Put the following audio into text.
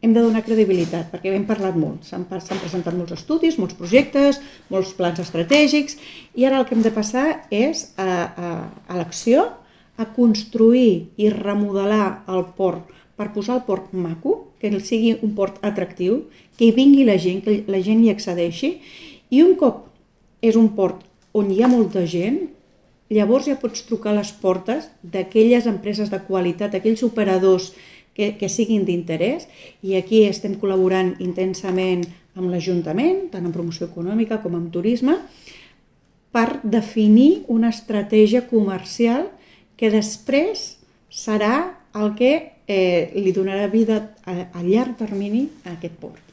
hem de donar credibilitat, perquè hem parlat molt, s'han presentat molts estudis, molts projectes, molts plans estratègics, i ara el que hem de passar és a l'acció, a construir i remodelar el port per posar el port maco, que sigui un port atractiu, que hi vingui la gent, que la gent hi accedeixi, i un cop és un port on hi ha molta gent, llavors ja pots trucar a les portes d'aquelles empreses de qualitat, aquells operadors que siguin d'interès, i aquí estem col·laborant intensament amb l'Ajuntament, tant en promoció econòmica com en turisme, per definir una estratègia comercial que després serà el que li donarà vida a llarg termini a aquest port.